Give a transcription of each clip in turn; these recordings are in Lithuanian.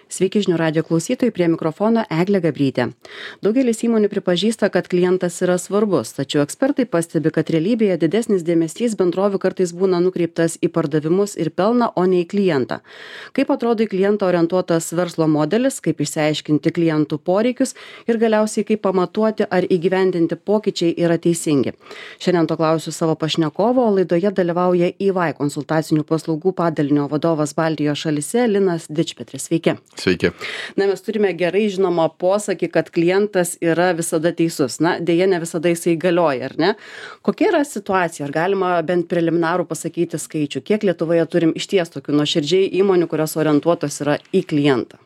Sveiki žinių radijo klausytojai, prie mikrofono Eglė Gabrytė. Daugelis įmonių pripažįsta, kad klientas yra svarbus, tačiau ekspertai pastebi, kad realybėje didesnis dėmesys bendrovių kartais būna nukreiptas į pardavimus ir pelną, o ne į klientą. Kaip atrodo į klientą orientuotas verslo modelis, kaip išsiaiškinti klientų poreikius ir galiausiai kaip pamatuoti ar įgyvendinti pokyčiai yra teisingi. Šiandien to klausiu savo pašnekovo, o laidoje dalyvauja EY konsultacinių paslaugų padalinio vadovas Baltijos šalyse Linas Dičpetris. Sveiki. Sveiki. Na, mes turime gerai žinomą posakį, kad klientas yra visada teisus. Na, dėja, ne visada jisai galioja, ar ne? Kokia yra situacija? Ar galima bent preliminarų pasakyti skaičių? Kiek Lietuvoje turim išties tokių nuoširdžiai įmonių, kurios orientuotos yra į klientą?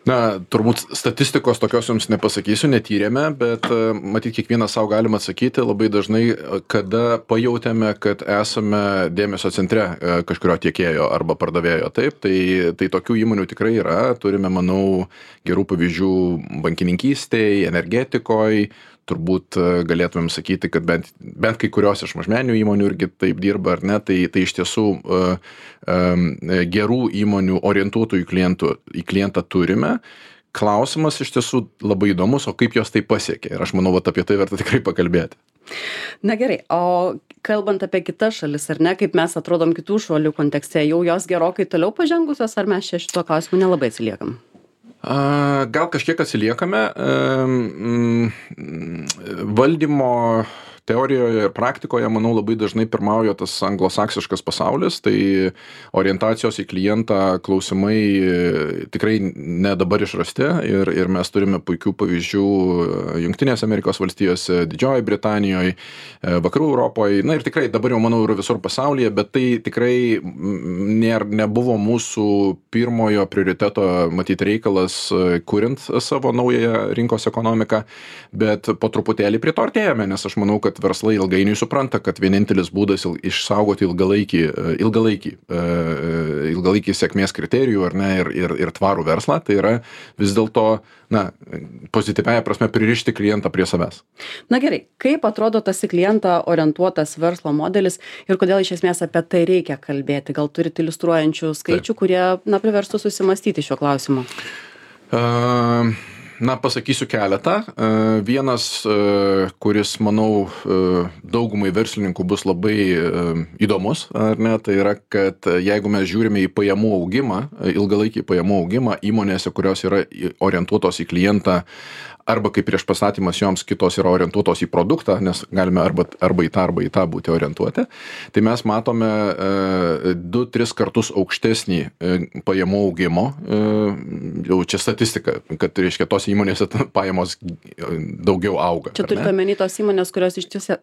Na, turbūt statistikos tokios jums nepasakysiu, netyrėme, bet matyt, kiekvienas savo galima atsakyti labai dažnai, kada pajautėme, kad esame dėmesio centre kažkurio tiekėjo arba pardavėjo. Taip, tai tokių įmonių tikrai yra. Turime, manau, gerų pavyzdžių bankininkystėje, energetikoje. Turbūt galėtumėm sakyti, kad bent kai kurios iš mažmeninių įmonių irgi taip dirba, ar ne, tai iš tiesų gerų įmonių orientuotų į klientą turime. Klausimas iš tiesų labai įdomus, o kaip jos tai pasiekė. Ir aš manau, apie tai verta tikrai pakalbėti. Na gerai, o kalbant apie kitas šalis, ar ne, kaip mes atrodom kitų šalių kontekste, jau jos gerokai toliau pažengusios, ar mes čia šito klausimu nelabai atsiliekam? Gal kažkiek atsiliekame. Valdymo teorijoje ir praktikoje, manau, labai dažnai pirmauja tas anglosaksiškas pasaulis, tai orientacijos į klientą klausimai tikrai ne dabar išrasti ir mes turime puikių pavyzdžių Jungtinėse Amerikos valstijose, Didžiojoje Britanijoje, Vakarų Europoje, na ir tikrai dabar jau, manau, yra visur pasaulyje, bet tai tikrai nebuvo mūsų pirmojo prioriteto, matyti, reikalas, kuriant savo naują rinkos ekonomiką, bet po truputėlį prie to artėjame, nes aš manau, kad verslai ilgainiui supranta, kad vienintelis būdas išsaugoti ilgalaikį sėkmės kriterijų, ar ne, ir tvarų verslą, tai yra vis dėlto, pozityviąja prasme pririšti klientą prie savęs. Na gerai, kaip atrodo tas į klientą orientuotas verslo modelis ir kodėl iš esmės apie tai reikia kalbėti? Gal turite iliustruojančių skaičių, kurie, priverstų susimastyti šiuo klausimu? Pasakysiu keletą. Vienas, kuris, manau, daugumai verslininkų bus labai įdomus, ar ne, tai yra, kad jeigu mes žiūrime į pajamų augimą, ilgalaikį pajamų augimą įmonėse, kurios yra orientuotos į klientą, arba kaip prieš pastatymas joms kitos yra orientuotos į produktą, nes galime arba į tą būti orientuoti, tai mes matome 2-3 kartus aukštesnį pajamų augimo, jau čia statistika, kad reiškia tos įmonėse pajamos daugiau auga. Čia turite omeny tos įmonės, kurios iš tiesų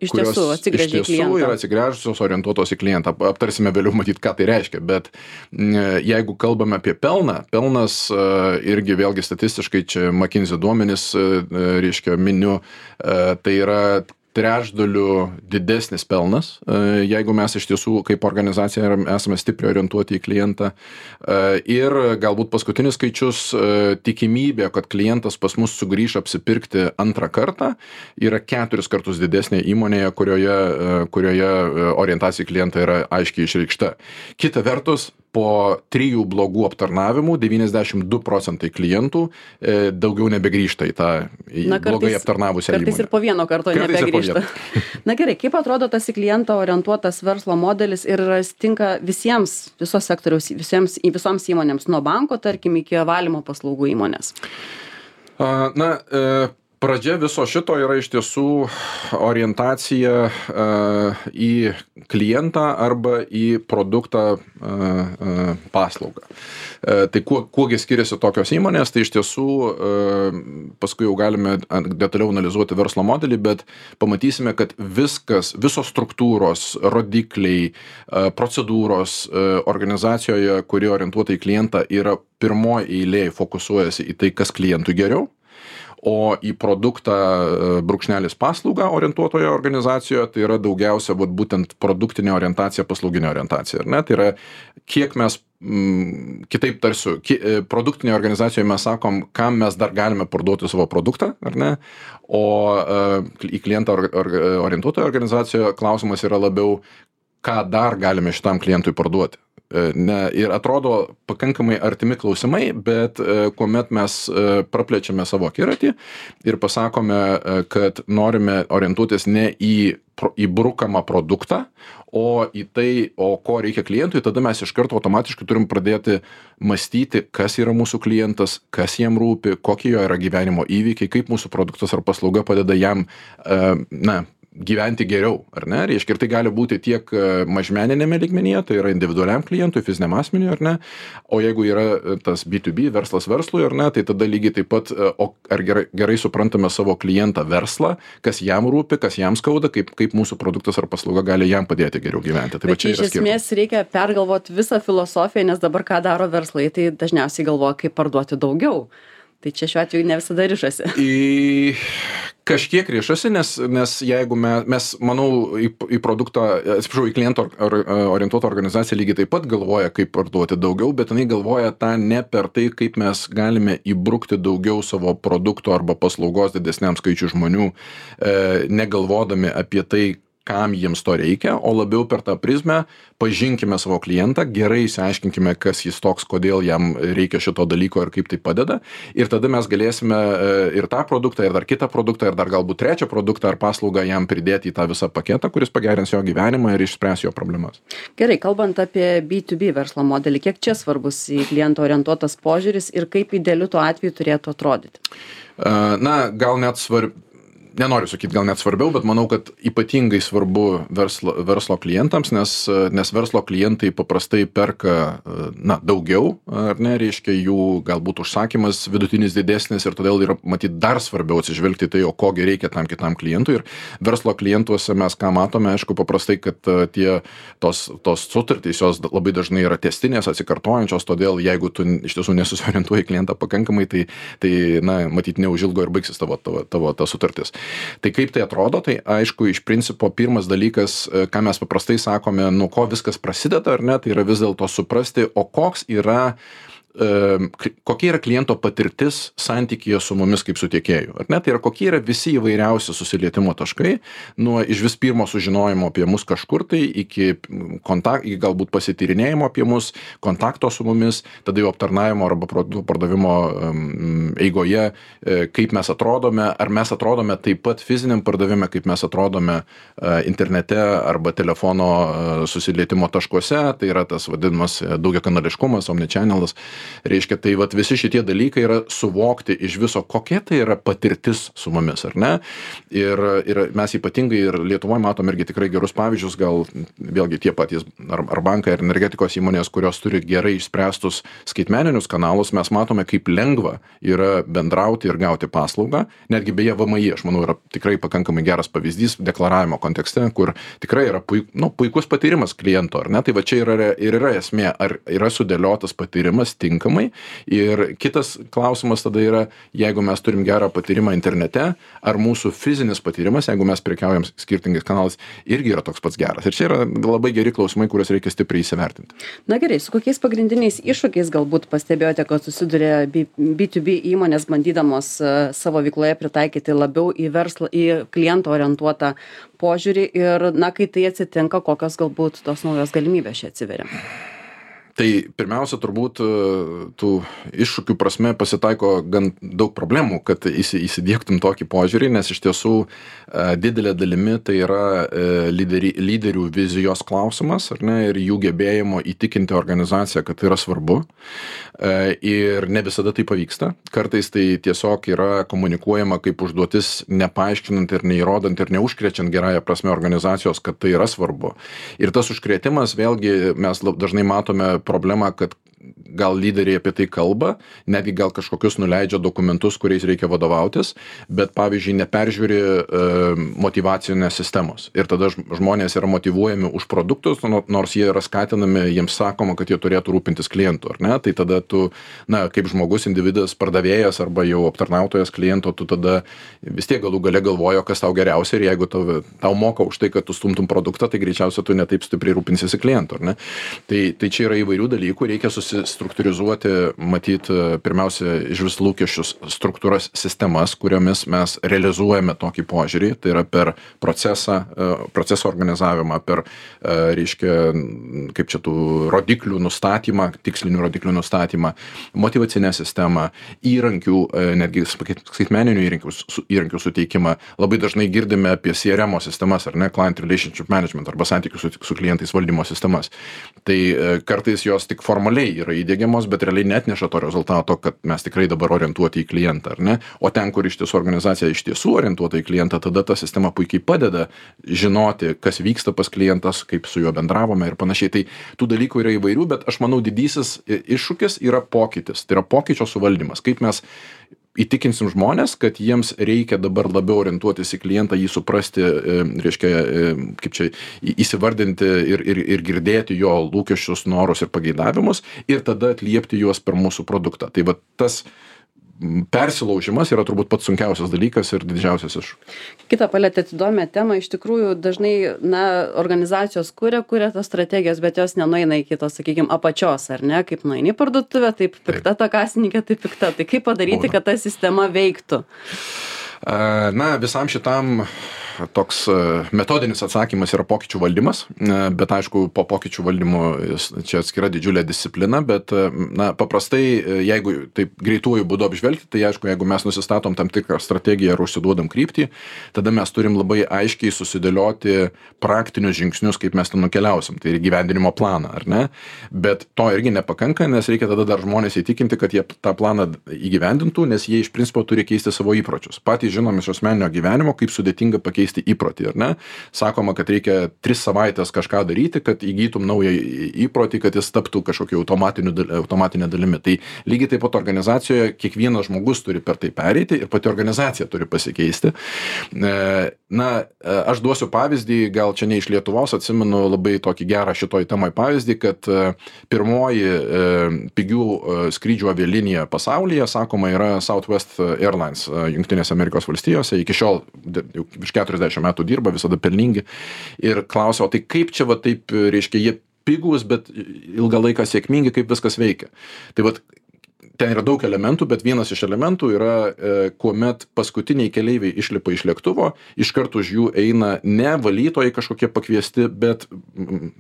atsigręžia į klientą. Iš tiesų yra atsigręžusios, orientuotos į klientą. Aptarsime vėliau matyti, ką tai reiškia, bet jeigu kalbame apie pelną, pelnas irgi vėlgi statistiškai, čia McKinsey duomenys, reiškia, miniu, tai yra trečdaliu didesnis pelnas, jeigu mes iš tiesų kaip organizacija esame stipriai orientuoti į klientą. Ir galbūt paskutinis skaičius, tikimybė, kad klientas pas mus sugrįš apsipirkti antrą kartą, yra 4 kartus didesnė įmonėje, kurioje orientacija į klientą yra aiškiai išreikšta. Kita vertus, po 3 blogų aptarnavimų 92% klientų daugiau nebegrįžta į tą blogai aptarnavusią įmonę. Kartais ir po vieno karto nebegrįžta. Na gerai, kaip atrodo tas į klientą orientuotas verslo modelis ir tinka visiems, visos sektoriaus, visoms įmonėms, nuo banko, tarkim, iki valymo paslaugų įmonės? Pradžia viso šito yra iš tiesų orientacija į klientą arba į produktą paslaugą. Tai kuogi skiriasi tokios įmonės, tai iš tiesų paskui jau galime detaliau analizuoti verslo modelį, bet pamatysime, kad visos struktūros, rodikliai, procedūros organizacijoje, kuri orientuota į klientą, yra pirmoji eilėje fokusuojasi į tai, kas klientui geriau. O į produktą brūkšnelis paslaugą orientuotoje organizacijoje tai yra daugiausia būtent produktinė orientacija, paslauginė orientacija. Ar ne? Tai yra, kiek mes, kitaip tarsiu, produktinėje organizacijoje mes sakom, kam mes dar galime parduoti savo produktą, ar ne? O į klientą orientuotoje organizacijoje klausimas yra labiau, ką dar galime šitam klientui parduoti. ir atrodo pakankamai artimi klausimai, bet kuomet mes praplečiame savo akiratį ir pasakome, kad norime orientuotis ne į brukamą produktą, o į tai, ko reikia klientui, tada mes iš karto automatiškai turim pradėti mąstyti, kas yra mūsų klientas, kas jam rūpi, kokie jo yra gyvenimo įvykiai, kaip mūsų produktas ar paslauga padeda jam, gyventi geriau, ar ne? Reiškia, ir tai gali būti tiek mažmeninėme lygmenyje, tai yra individualiam klientui, fiziniam asmeniui, ar ne? O jeigu yra tas B2B, verslas verslui, ar ne, tai tada lygiai taip pat, ar gerai suprantame savo klientą verslą, kas jam rūpi, kas jam skauda, kaip mūsų produktas ar paslauga gali jam padėti geriau gyventi. Tai bet čia iš esmės reikia pergalvoti visą filosofiją, nes dabar ką daro verslai, tai dažniausiai galvoja, kaip parduoti daugiau. Tai čia šiuo atveju ne visada rišasi. Kažkiek rišasi, nes jeigu mes manau, į produktą, atsiprašau, į klientą orientuotą organizaciją lygiai taip pat galvoja, kaip parduoti daugiau, bet jinai galvoja tą ne per tai, kaip mes galime įbrukti daugiau savo produkto arba paslaugos didesniam skaičiui žmonių, negalvodami apie tai, kam jiems to reikia, o labiau per tą prizmę pažinkime savo klientą, gerai išsiaiškinkime, kas jis toks, kodėl jam reikia šito dalyko ir kaip tai padeda. Ir tada mes galėsime ir tą produktą, ir dar kitą produktą, ir dar galbūt trečią produktą ar paslaugą jam pridėti į tą visą paketą, kuris pagerins jo gyvenimą ir išspręs jo problemas. Gerai, kalbant apie B2B verslo modelį, kiek čia svarbus į klientą orientuotas požiūris ir kaip idealiu tuo atveju turėtų atrodyti? Gal net nenoriu sakyti, gal net svarbiau, bet manau, kad ypatingai svarbu verslo klientams, nes verslo klientai paprastai perka daugiau, ar ne, reiškia jų galbūt užsakymas vidutinis didesnis ir todėl yra matyti dar svarbiau atsižvelgti tai, o kogi reikia tam kitam klientui. Ir verslo klientuose mes ką matome, aišku, paprastai, kad tos sutartys jos labai dažnai yra testinės, atsikartojančios, todėl jeigu tu iš tiesų nesusiorientuoji klientą pakankamai, tai matyti neužilgo ir baigsis tavo ta sutartis. Tai kaip tai atrodo, tai aišku, iš principo pirmas dalykas, ką mes paprastai sakome, nuo ko viskas prasideda, ar ne, tai yra vis dėlto suprasti, o kokia yra kliento patirtis santykyje su mumis kaip su tiekėju. Ar ne? Tai yra kokie yra visi įvairiausi susilietimo taškai, nuo iš vis pirmo sužinojimo apie mus kažkur tai, iki galbūt pasityrinėjimo apie mus, kontakto su mumis, tada jau aptarnavimo arba pardavimo eigoje, kaip mes atrodome, ar mes atrodome taip pat fiziniam pardavime, kaip mes atrodome internete arba telefono susilietimo taškuose, tai yra tas vadinamas daugiakanališkumas, omnichanelas. Reiškia, tai visi šitie dalykai yra suvokti iš viso, kokia tai yra patirtis su mumis, ar ne? Ir mes ypatingai ir Lietuvoje matom irgi tikrai gerus pavyzdžius, gal vėlgi tie patys ar bankai, ar energetikos įmonės, kurios turi gerai išspręstus skaitmeninius kanalus, mes matome, kaip lengva yra bendrauti ir gauti paslaugą. Netgi beje VMI, aš manau, yra tikrai pakankamai geras pavyzdys deklaravimo kontekste, kur tikrai yra puikus patyrimas kliento, ar ne? Tai čia yra esmė, ar yra sudėliotas patyrimas tinkamai. Ir kitas klausimas tada yra, jeigu mes turim gerą patyrimą internete, ar mūsų fizinis patyrimas, jeigu mes prekiaujam skirtingais kanalais, irgi yra toks pats geras. Ir čia yra labai geri klausimai, kuriuos reikia stipriai įsivertinti. Na gerai, su kokiais pagrindiniais iššūkiais galbūt pastebėjote, kad susiduria B2B įmonės bandydamos savo veikloje pritaikyti labiau į verslą, į klientą orientuotą požiūrį ir, kai tai atsitinka, kokios galbūt tos naujos galimybės čia atsiveria? Tai pirmiausia, turbūt tų iššūkių prasme pasitaiko gan daug problemų, kad įsidiegtum tokį požiūrį, nes iš tiesų didelė dalimi tai yra lyderių vizijos klausimas, ar ne, ir jų gebėjimo įtikinti organizaciją, kad tai yra svarbu. Ir ne visada tai pavyksta. Kartais tai tiesiog yra komunikuojama kaip užduotis, nepaaiškinant ir neįrodant ir neužkrečiant gerąją prasme organizacijos, kad tai yra svarbu. Ir tas užkrėtimas, vėlgi, mes dažnai matome problemą, kad gal lyderiai apie tai kalba, netgi gal kažkokius nuleidžia dokumentus, kuriais reikia vadovautis, bet pavyzdžiui neperžiūri motyvacinės sistemos. Ir tada žmonės yra motyvuojami už produktus, nors jie yra skatinami, jiems sakoma, kad jie turėtų rūpintis klientu, ar ne? Tai tada tu, kaip žmogus, individas, pardavėjas arba jau aptarnautojas kliento, tu tada vis tiek galų gale galvojo, kas tau geriausia, ir jeigu tau moka už tai, kad tu stumtum produktą, tai greičiausiai tu netaip stipriai rūpinsiesi klientu, ar ne? Tai čia yra įvairių dalykų, reikia susistruktūrizuoti, matyt, pirmiausia, iš vis lūkesčius struktūras, sistemas, kuriomis mes realizuojame tokį požiūrį, tai yra per proceso organizavimą, per, reiškia, kaip čia tų rodiklių nustatymą, tikslinių rodiklių nustatymą, motyvacinę sistemą, įrankių, netgi skaitmeninių įrankių suteikimą. Labai dažnai girdime apie CRM sistemas, ar ne, Client Relationship Management, arba santykių su klientais valdymo sistemas. Tai kartais jos tik formaliai yra įdiegiamos, bet realiai netneša to rezultato, kad mes tikrai dabar orientuoti į klientą, ar ne? O ten, kur iš tiesų organizacija iš tiesų orientuota į klientą, tada ta sistema puikiai padeda žinoti, kas vyksta pas klientas, kaip su juo bendravome ir panašiai. Tai tų dalykų yra įvairių, bet aš manau didysis iššūkis yra pokytis, tai yra pokyčio suvaldymas. Kaip mes įtikinsim žmonės, kad jiems reikia dabar labiau orientuotis į klientą, jį suprasti, reiškia, kaip čia įsivardinti ir girdėti jo lūkesčius, norus ir pageidavimus ir tada atliepti juos per mūsų produktą. Tai va tas persilaužimas yra turbūt pats sunkiausias dalykas ir didžiausias iššūkis. Kitą palėtėt įdomią temą, iš tikrųjų dažnai, organizacijos kuria tas strategijas, bet jos nenueina iki tos, sakykime, apačios, ar ne, kaip nueini į parduotuvę, taip pikta ta kasininkė, taip pikta. Tai kaip padaryti, kad ta sistema veiktų? Visam šitam toks metodinis atsakymas yra pokyčių valdymas, bet aišku, po pokyčių valdymo čia atskira didžiulė disciplina, bet paprastai, jeigu taip greituoju būdu apžvelgti, tai aišku, jeigu mes nusistatom tam tikrą strategiją ir užsiduodam kryptį, tada mes turim labai aiškiai susidėlioti praktinius žingsnius, kaip mes ten nukeliausim, tai ir gyvendinimo planą, ar ne? Bet to irgi nepakanka, nes reikia tada dar žmonės įtikinti, kad jie tą planą įgyvendintų, nes jie iš principo turi keisti savo įpročius. Patys žinom iš asmeninio gyvenimo, kaip sudėtinga pakeisti įprotį, ar ne? Sakoma, kad reikia 3 savaitės kažką daryti, kad įgytum naują įprotį, kad jis taptų kažkokiu automatinė dalimi. Tai lygiai taip pat organizacijoje kiekvienas žmogus turi per tai pereiti ir pati organizacija turi pasikeisti. Aš duosiu pavyzdį, gal čia ne iš Lietuvos, atsimenu labai tokį gerą šitoj temai pavyzdį, kad pirmoji pigių skrydžių avialinija pasaulyje, sakoma, yra Southwest Airlines Jungtinėse Amerikos valstijose, iki šiol jau virš 40 metų dirba, visada pelningi. Ir klausia, o tai kaip čia va taip, reiškia, jie pigūs, bet ilgą laiką sėkmingi, kaip viskas veikia. Tai vat ten yra daug elementų, bet vienas iš elementų yra, kuomet paskutiniai keleiviai išlipa iš lėktuvo, iš karto už jų eina ne valytojai kažkokie pakviesti, bet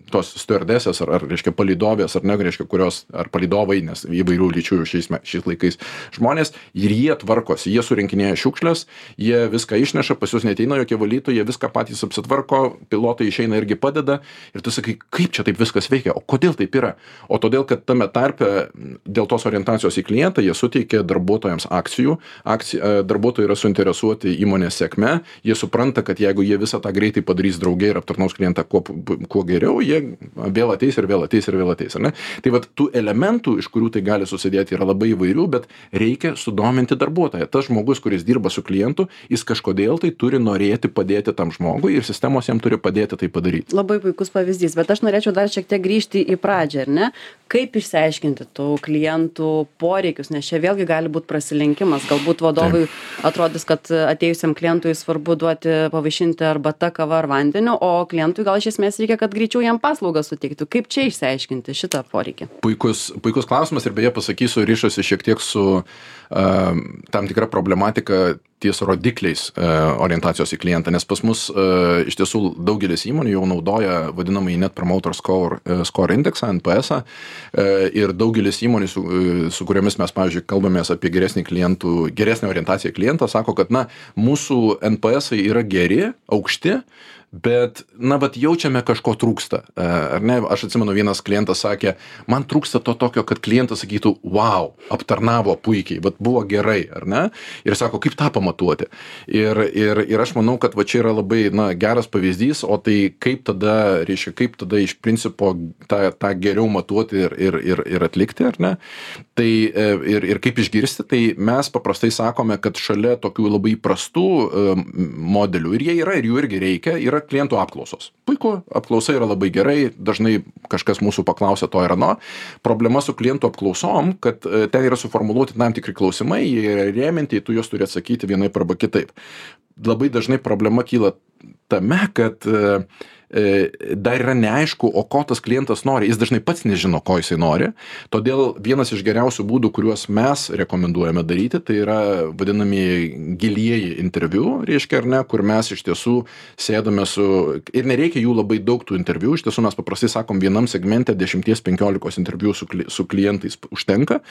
tos stewardesės ar reiškia palydovės, ar ne, reiškia, kurios, ar palydovai, nes įvairių lyčių šiais laikais žmonės, ir jie tvarkosi, jie surinkinėja šiukšles, jie viską išneša, pas jūs neateina jokie valytojai, jie viską patys apsitvarko, pilotai išeina irgi padeda, ir tu sakai, kaip čia taip viskas veikia, o kodėl taip yra? O todėl, kad tame tarpe dėl tos orientacijos į klientą, jie suteikia darbuotojams akcijų, darbuotojai yra suinteresuoti įmonės sėkme, jie supranta, kad jeigu jie visą tą greitai padarys drauge ir aptarnaus klientą kuo geriau, jie vėl ateis ir vėl ateis ir vėl ateis, ar ne? Tai vat tų elementų, iš kurių tai gali susidėti, yra labai įvairių, bet reikia sudominti darbuotoją. Tas žmogus, kuris dirba su klientu, jis kažkodėl tai turi norėti padėti tam žmogui ir sistemos jam turi padėti tai padaryti. Labai puikus pavyzdys, bet aš norėčiau dar šiek tiek grįžti į pradžią, ar ne? Kaip išsiaiškinti tų klientų poreikius, nes čia vėlgi gali būti prasilenkimas. Galbūt vadovui atrodys, kad atėjusiam klientui svarbu duoti pavaišinti arbata, kava ar vandeniu, o klientui gal iš esmės reikia, kad greičiau jam paslaugą suteiktų. Kaip čia išsiaiškinti šitą poreikį? Puikus klausimas ir beje pasakysiu, ryšosi šiek tiek su tam tikra problematika ties rodikliais orientacijos į klientą, nes pas mus iš tiesų daugelis įmonių jau naudoja vadinamąjį Net Promoter Score indeksą, NPS-ą, ir daugelis įmonių, su kuriomis mes, pavyzdžiui, kalbamės apie geresnę orientaciją į klientą, sako, kad mūsų NPS-ai yra geri, aukšti, bet, jaučiame kažko trūksta. Ar ne? Aš atsimenu, vienas klientas sakė, man trūksta to tokio, kad klientas sakytų, wow, aptarnavo puikiai, bet buvo gerai, ar ne? Ir sako, kaip tą pamatuoti? Ir aš manau, kad čia yra labai, geras pavyzdys, o tai kaip tada iš principo tą geriau matuoti ir atlikti, ar ne? Tai ir kaip išgirsti, tai mes paprastai sakome, kad šalia tokių labai prastų modelių, ir jie yra, ir jų irgi reikia, yra klientų apklausos. Puiku, apklausa yra labai gerai, dažnai kažkas mūsų paklausia to ir ano. Problema su klientų apklausom, kad ten yra suformuluoti tam tikri klausimai, jie yra rėminti, tu juos turi atsakyti vienaip arba kitaip. Labai dažnai problema kyla tame, kad dar yra neaišku, o ko tas klientas nori. Jis dažnai pats nežino, ko jisai nori. Todėl vienas iš geriausių būdų, kuriuos mes rekomenduojame daryti, tai yra vadinami gilieji interviu, reiškia ar ne, kur mes iš tiesų sėdame ir nereikia jų labai daug tų interviu, iš tiesų mes paprastai sakom, vienam segmente 10-15 interviu su klientais užtenka,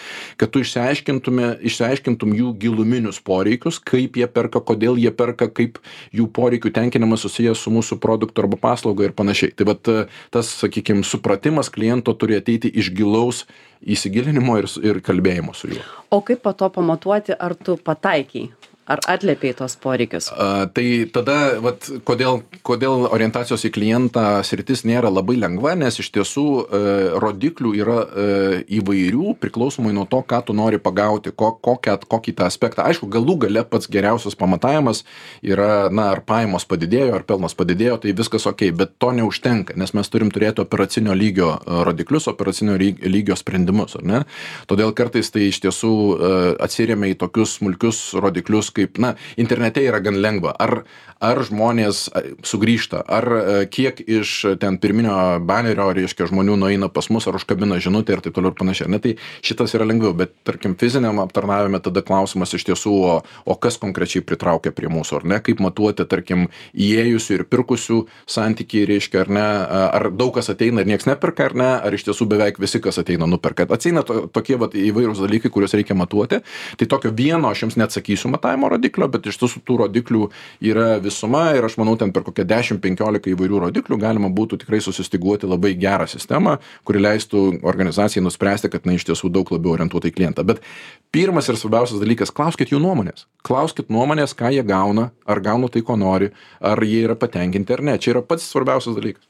kad tu išsiaiškintum jų giluminius poreikius, kaip jie perka, kodėl jie perka, kaip jų poreikių tenkinimas susijęs su mūsų produktu arba paslauga ir panašiai. Tai vat tas, sakykime, supratimas kliento turi ateiti iš gilaus įsigilinimo ir kalbėjimo su juo. O kaip po to pamatuoti, ar tu pataikiai? Ar atliepiai tos poreikius? Tai tada, vat, kodėl orientacijos į klientą sritis nėra labai lengva, nes iš tiesų rodiklių yra įvairių, priklausomai nuo to, ką tu nori pagauti, kokį tą aspektą. Aišku, galų gale pats geriausias pamatavimas yra, ar pajamos padidėjo, ar pelnas padidėjo, tai viskas ok, bet to neužtenka, nes mes turim turėti operacinio lygio rodiklius, operacinio lygio sprendimus, ar ne? Todėl kartais tai iš tiesų atsiremia į tokius smulkius rodiklius, kaip, internete yra gan lengva. Ar žmonės sugrįžta, ar kiek iš ten pirminio banerio, reiškia, žmonių nueina pas mus, ar užkabina žinutę ir taip toliau ir panašiai. Ne, tai šitas yra lengviau, bet tarkim fiziniam aptarnavime tada klausimas iš tiesų, o kas konkrečiai pritraukia prie mūsų, ar ne, kaip matuoti, tarkim, įėjusių ir pirkusių santykiai, reiškia, ar ne, ar daug kas ateina ir nieks neperka, ar ne, ar iš tiesų beveik visi, kas ateina, nuperka. Ateina tokie įvairūs dalykai, kuriuos reikia matuoti. Tai tokio vieno aš jums neatsakysiu matavimo rodiklio, bet iš tiesų tų rodiklių yra visuma ir aš manau, ten per kokią 10-15 įvairių rodiklių galima būtų tikrai susistiguoti labai gerą sistemą, kuri leistų organizacijai nuspręsti, kad iš tiesų daug labiau orientuota į klientą. Bet pirmas ir svarbiausias dalykas, klauskit jų nuomonės. Klauskit nuomonės, ką jie gauna, ar gauna tai, ko nori, ar jie yra patenkinti ar ne. Čia yra pats svarbiausias dalykas.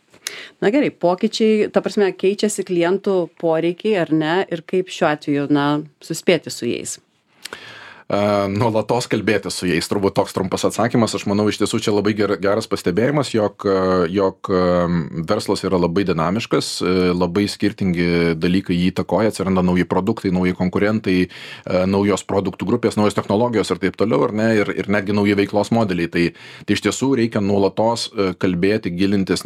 Na gerai, pokyčiai, ta prasme, keičiasi klientų poreikiai ar ne ir kaip šiuo atveju, suspėti su jais? Nuolatos kalbėti su jais, turbūt toks trumpas atsakymas. Aš manau, iš tiesų čia labai geras pastebėjimas, jog verslas yra labai dinamiškas, labai skirtingi dalykai jį įtakoja, atsiranda nauji produktai, nauji konkurentai, naujos produktų grupės, naujos technologijos ir taip toliau, ar ne, ir netgi nauji veiklos modeliai. Tai iš tiesų reikia nuolatos kalbėti, gilintis,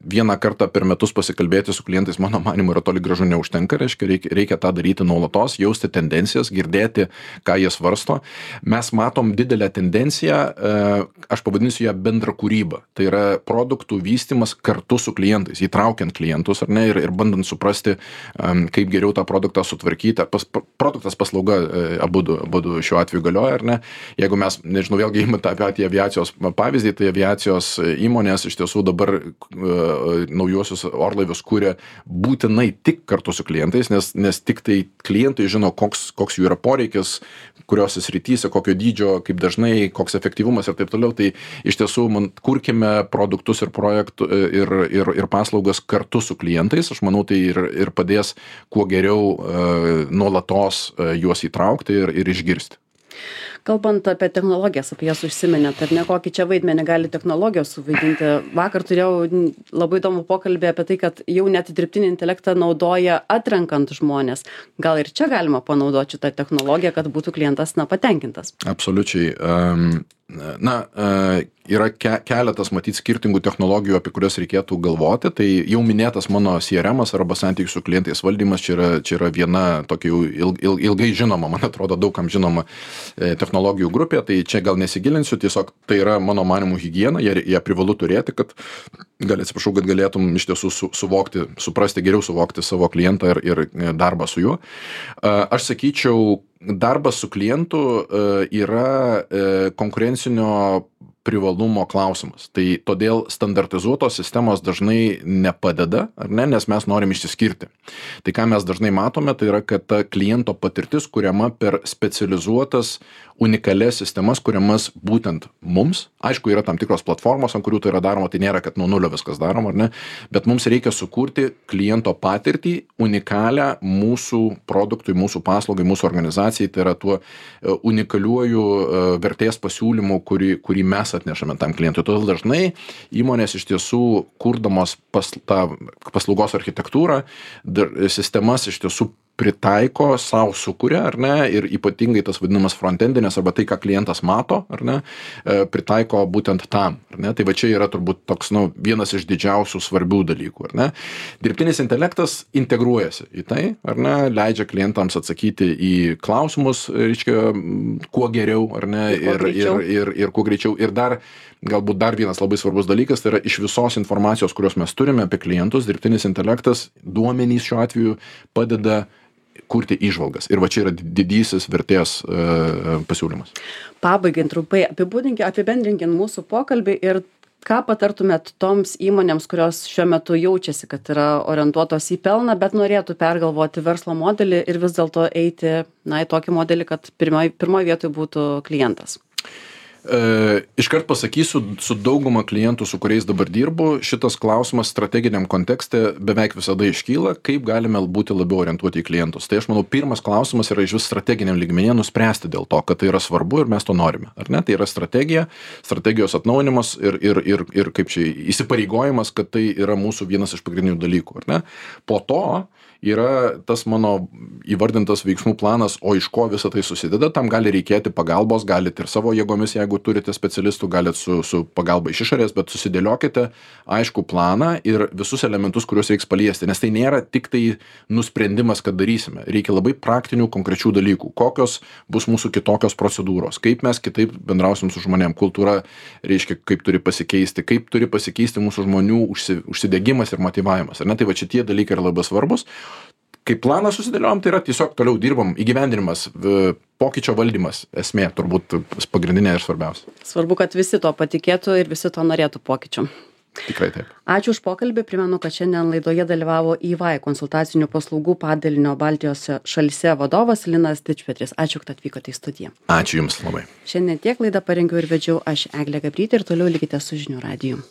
vieną kartą per metus pasikalbėti su klientais, mano manimu, yra toli gražu neužtenka, reikia tą daryti nuolatos, jausti tendencijas, girdėti, ką jie svarsto. Mes matom didelę tendenciją, aš pavadinsiu ją bendrą kūrybą. Tai yra produktų vystymas kartu su klientais, įtraukiant klientus, ar ne, ir bandant suprasti, kaip geriau tą produktą sutvarkyti. Produktas, paslauga, abudu šiuo atveju galioja, ar ne. Jeigu mes, nežinau, vėlgi imant tą patį aviacijos pavyzdį, tai aviacijos įmonės iš tiesų dabar naujuosius orlaivius kuria būtinai tik kartu su klientais, nes tik tai klientai žino, koks jų yra poreikis, kurios srityse, kokio dydžio, kaip dažnai, koks efektyvumas ir taip toliau. Tai iš tiesų kurkime produktus ir projektų ir paslaugas kartu su klientais. Aš manau, tai ir padės kuo geriau nuolatos juos įtraukti ir išgirsti. Kalbant apie technologijas, apie jas užsiminėt, ar ne, kokį čia vaidmenį gali technologijos suvaidinti. Vakar turėjau labai įdomų pokalbį apie tai, kad jau net dirbtinį intelektą naudoja atrenkant žmonės. Gal ir čia galima panaudoti šitą technologiją, kad būtų klientas patenkintas? Absoliučiai. Yra keletas, matyt, skirtingų technologijų, apie kurias reikėtų galvoti. Tai jau minėtas mano CRM-as arba santykių su klientais valdymas, čia yra viena tokia jau ilgai žinoma, man atrodo, daugam žinoma technologijų grupė. Tai čia gal nesigilinsiu, tiesiog tai yra mano manimų higiena, ją privalu turėti, kad galėtum iš tiesų geriau suvokti savo klientą ir darbą su juo. Aš sakyčiau, darbas su klientu yra konkurencinio privalumo klausimas. Tai todėl standartizuotos sistemos dažnai nepadeda, ar ne, nes mes norim išsiskirti. Tai ką mes dažnai matome, tai yra, kad ta kliento patirtis kuriama per specializuotas unikalias sistemas, kuriamas būtent mums. Aišku, yra tam tikros platformos, ant kurių tai yra daroma, tai nėra, kad nuo nulio viskas daroma, ar ne, bet mums reikia sukurti kliento patirtį unikalią mūsų produktui, mūsų paslaugai, mūsų organizacijai, tai yra tuo unikaliuoju vertės pasiūlymu, kurį mes atnešame tam klientui. Todėl dažnai įmonės iš tiesų, kurdamos tą paslaugos architektūrą, sistemas iš tiesų pritaiko, sau sukuria, ar ne, ir ypatingai tas vadinamas frontendinės arba tai, ką klientas mato, ar ne, pritaiko būtent tam, ar ne. Tai va čia yra turbūt toks, vienas iš didžiausių svarbių dalykų, ar ne. Dirbtinis intelektas integruojasi į tai, ar ne, leidžia klientams atsakyti į klausimus, reiškia, kuo geriau, ar ne, ir kuo greičiau. Ir galbūt dar vienas labai svarbus dalykas, tai yra iš visos informacijos, kurios mes turime apie klientus, dirbtinis intelektas, duomenys šiuo atveju padeda kurti įžvalgas. Ir va čia yra didysis vertės pasiūlymas. Pabaigiant trumpai, apibendrinkim mūsų pokalbį ir ką patartumėt toms įmonėms, kurios šiuo metu jaučiasi, kad yra orientuotos į pelną, bet norėtų pergalvoti verslo modelį ir vis dėlto eiti į tokį modelį, kad pirmoj vietoj būtų klientas? Iškart pasakysiu, su dauguma klientų, su kuriais dabar dirbu, šitas klausimas strateginiam kontekste beveik visada iškyla, kaip galime būti labiau orientuoti į klientus. Tai aš manau, pirmas klausimas yra iš vis strateginiam lygmenyje nuspręsti dėl to, kad tai yra svarbu ir mes to norime. Ar ne? Tai yra strategija, strategijos atnaujinimas ir kaip čia įsipareigojimas, kad tai yra mūsų vienas iš pagrindinių dalykų. Ar ne? Po to yra tas mano įvardintas veiksmų planas, o iš ko visą tai susideda, tam gali reikėti pagalbos, galite ir savo jėgomis, jeigu turite specialistų, galite su pagalba iš išorės, bet susidėliokite aišku planą ir visus elementus, kuriuos reiks paliesti, nes tai nėra tik tai nusprendimas, kad darysime. Reikia labai praktinių, konkrečių dalykų. Kokios bus mūsų kitokios procedūros, kaip mes kitaip bendrausim su žmonėm, kultūra, reiškia, kaip turi pasikeisti mūsų žmonių užsidegimas ir motyvavimas. Ar ne? Tai va šitie dalykai yra labai svarbus. Kai planą susidėliojom, tai yra tiesiog toliau dirbam, įgyvendinimas, pokyčio valdymas, esmė turbūt pagrindinė ir svarbiausia. Svarbu, kad visi to patikėtų ir visi to norėtų pokyčių. Tikrai taip. Ačiū už pokalbį. Primenu, kad šiandien laidoje dalyvavo EY konsultacinių paslaugų padalinio Baltijos šalyse vadovas Linas Dičpetris. Ačiū, kad atvykote į studiją. Ačiū Jums labai. Šiandien tiek laidą parengiau ir vedžiau aš, Eglė Gabrytė, ir toliau likite su žinių radiju.